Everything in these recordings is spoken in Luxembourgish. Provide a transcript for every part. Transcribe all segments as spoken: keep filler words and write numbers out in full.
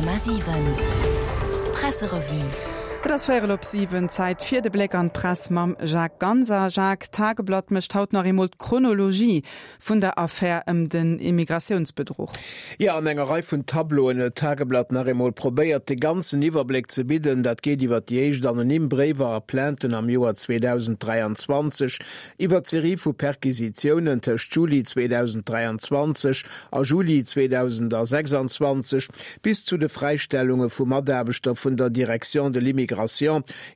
Komma siwen Presserevue. Et ass véierel op siwen, Zäit fir de Bléck an d'Press mam Jacques Ganser. Jacques, d'Tageblatt mécht haut nach eemol d'Chronologie vun der Affär ëm den Immigratiounsbedruch. Jo, an enger Rei vun Tableauen huet d'Tageblatt nach eemol probéiert, de ganzen Iwwerbléck ze bidden. Dat geet iwwer déi éischt anonym Bréiwer a Plainten am Joer zweedausenddräianzwanzeg, iwwer d'Serie vu Perquisitiounen tëscht Juli zweedausenddräianzwanzeg a Juli zweedausendsechsanzwanzeg, bis zu de Fräistellunge vu Mataarbechter vun der Direction de l'immigration.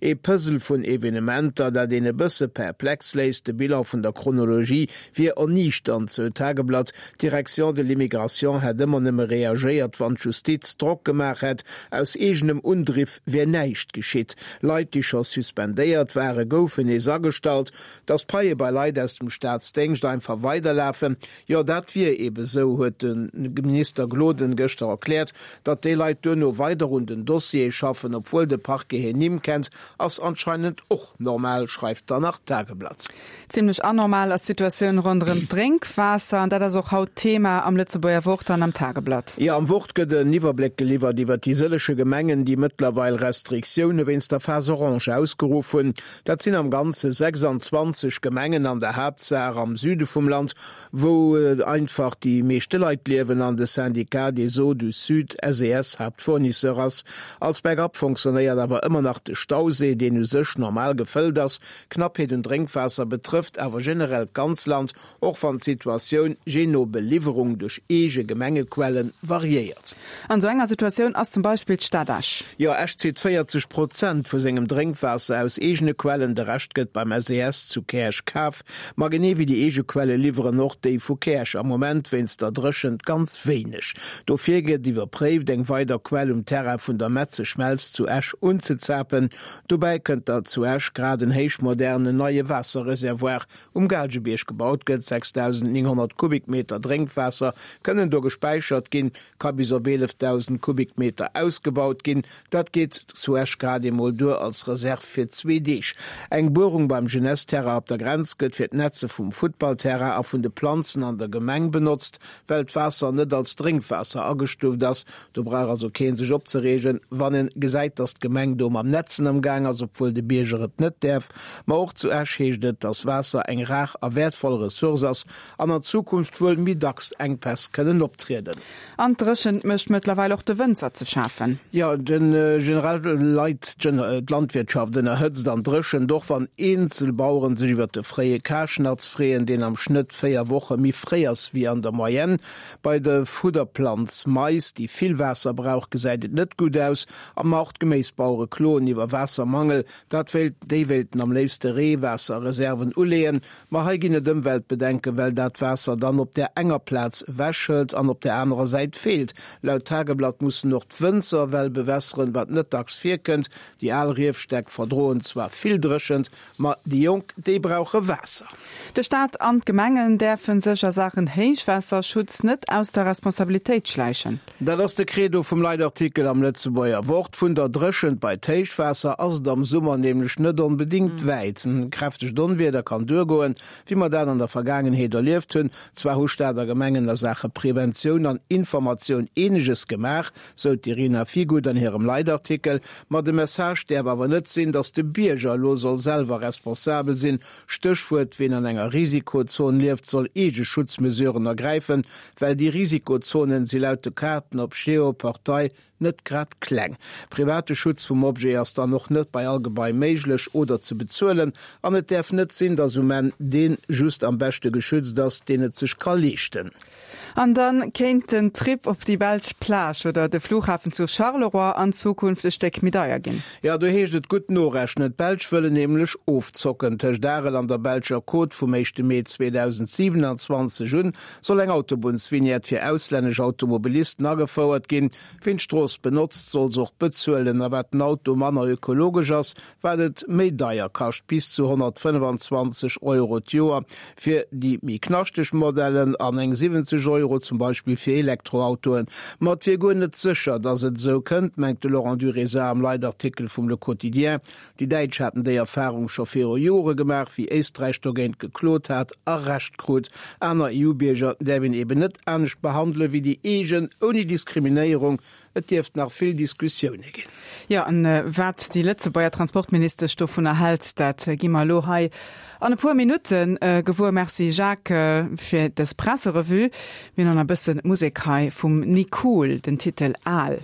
Ee Puzzle vun Evenementer, dat een e bësse perplex léisst. De Bilan vun der Chronologie wier erniichternd, sou d'Tageblatt. D'Direction de l'immigration hätt ëmmer nëmme reagéiert, wann d'Justiz Drock gemaach hätt. Aus eegenem Undriff wier näischt geschitt. Leit, déi scho suspendéiert waren, goufen nees agestallt. Datt d'Paie bei Leit aus dem Staatsdéngscht einfach weiderlafen, jo dat wier ebe sou, huet de Minister Gloden gëschter erkläert. Datt déi Leit duerno weider un den Dossiere schaffen, obwuel de Parquet hir Nimm kennt, ass anscheinend och normal, schreift dann nach d'Tageblatt. Zimlech anormal ass d'Situatioun ronderëm d'Drénkwaasser an dat ass och haut Thema am Lëtzebuerger Wort an am Tageblatt. Jo, am Wort gëtt en Iwwerbléck geliwwert iwwer déi sëllege Gemengen, déi mëttlerweil Restriktioune wéinst der Phase orange ausgeruff hunn. Dat sinn am Ganze sechsanzwanzeg Gemengen, an der Haaptsaach am Süde vum Land, wou einfach déi meeschte Leit liewen an de Syndicat des Eaux du Sud, S E S, Haaptfournisseur ass. Als Backup fonctionnéiert awer ëmmer nach de Stauséi, deen u sech normal gefëllt ass. D'Knappheet un Drénkwaasser betrëfft awer generell d'ganz Land, och wann d'Situatioun jee no Beliwwerung duerch eege Gemengequelle variéiert. An esou enger Situatioun ass zum Beispill d'Stad Esch. Jo, Esch zitt véierzeg Prozent vu sengem Drénkwaasser aus eegene Quellen, de Rescht gëtt beim S E S zu Käerch kaf. Ma genee wéi déi eege Quelle liwweren och déi vu Käerch am Moment wéinst der Dréchent ganz wéineg. Dofir gëtt iwwerpréift, eng weider Quell um Terrain vun der Metzeschmelz zu Esch unzezapen. Dobäi kënnt, datt zu Esch grad en héichmodernen neie Waasserreservoir um Gaalgebierg gebaut gëtt. sechsdausendnénghonnert Kubikmeter Drénkwaasser kënnen do gespäichert ginn, ka bis op eelefdausend Kubikmeter ausgebaut ginn. Dat geet zu Esch grad emol duer als Reserv fir zwee Deeg. Eng Buerung beim Jeunesse-Terrain op der Grenz gëtt fir d'Netze vum Futtballterrain a vun de Planzen an der Gemeng benotzt, well d'Waasser net als Drénkwaasser agestuuft ass. Do brauch also kee sech opzereegen, wann en gesäit, datt d'Gemeng do mam Netzen am Gaang ass, obwuel de Bierger et net däerf. Ma och zu Esch heescht et, datt Waasser eng rar a wäertvoll Ressource ass an an Zukunft wuel méi dacks Enkpäss kënnen optrieden. An d'Dréchent mécht mëttlerweil och de Wënzer ze schafen. Jo, generell leit d'Landwirtschaft ënner Hëtzt an Dréchent, och wann eenzel Baueren sech iwwer de fréie Karschnatz freeën, deen am Schnëtt véier Woche méi fréi ass wéi an der Moyenne. Bei der Fudderplanz Mais, déi vill Waasser brauch, gesäit et net gutt aus. A ma och d'Geméisbauere kloen iwwer Waassermangel. Dat wéilt, déi wéilten am léifste Reewaasserreserven uleeën. Ma hei ginn et Ëmweltbedenken, well dat Waasser dann op där enger Plaz ewechhëlt an op där anerer Säit feelt. Laut Tageblatt mussen och d'Wënzer well bewässeren, wat net dacks virkënnt. Déi al Riefstäck verdroen zwar vill Dréchent, ma déi jonk, déi brauche Waasser. De Staat an d'Gemengen däerfe sech a Saachen Héichwaasserschutz net aus der Responsabilitéit schläichen. Dat ass de Credo vum Leitartikel am Lëtzebuerger Wort. Vun der Dréchent bei d'Héichwaasser ass et am Summer nämlech net onbedéngt wäit. Kräftegt Onwieder kann duergoen, wéi mer dat an der Vergaangenheet erlieft hunn. Zwar hu Staat a Gemengen a Saache Preventioun an Informatioun eeneges gemaach, sou d'Irina Fieguth an hirem Leitartikel, ma de Message däerf awer net sinn, datt de Bierger elo soll selwer responsabel sinn. Stéchwuert, Ween an enger Risikozon lieft, soll eege Schutzmesuren ergräifen, well déi Risikozonen si laut de Kaarten op Geoportail net grad kleng. Private Schutz vum Objet ass dann och net bei all Gebai méiglech oder ze bezuelen an et däerf net sinn, datt um Enn dee just am beschte geschützt ass, deen et sech ka leeschten. An dann kéint den Trip op déi belsch Plage oder de Flughafen zu Charleroi an Zukunft e Stéck méi deier ginn. Jo, do heescht et gutt norechnen. D'Belsch wëllen nämlech ofzocken. Tëscht Arel an der belscher Côte vum éischte Mee zweedausendsiewenanzwanzeg un soll eng Autobunnsvignette fir auslännesch Automobilisten agefouert ginn. Wien d'Strooss benotzt, soll se och bezuelen. A wat den Auto manner ökologesch ass, wat et méi deier kascht, bis zu honnertfënnefenzwanzeg Euro d'Joer fir déi méi knaschteg Modellen an eng siwwenzeg Euro zum Beispill fir Elektroautoen. Ma et wier guer net sécher, datt et esou kënnt, mengt de Laurent Duriezat am Leitartikel vum Le Quotidien. Déi Däitsch haten déi Erfarung scho viru Jore gemaach, wéi Éisträich dogéint geklot hat a Recht krut. Aner E U-Bierger däerf een eben net anescht behandele wéi déi eegen, ouni Diskriminéierung. Et dierft nach vill Diskussioune ginn. Jo, an wat déi Lëtzebuerger Transportministesch dovunner hält, dat gi mer elo hei an e puer Minutte gewuer. Merci Jacques fir dës Presserevue. Mir hunn nach e bësse Musek hei vum Nicool, den Titel Al.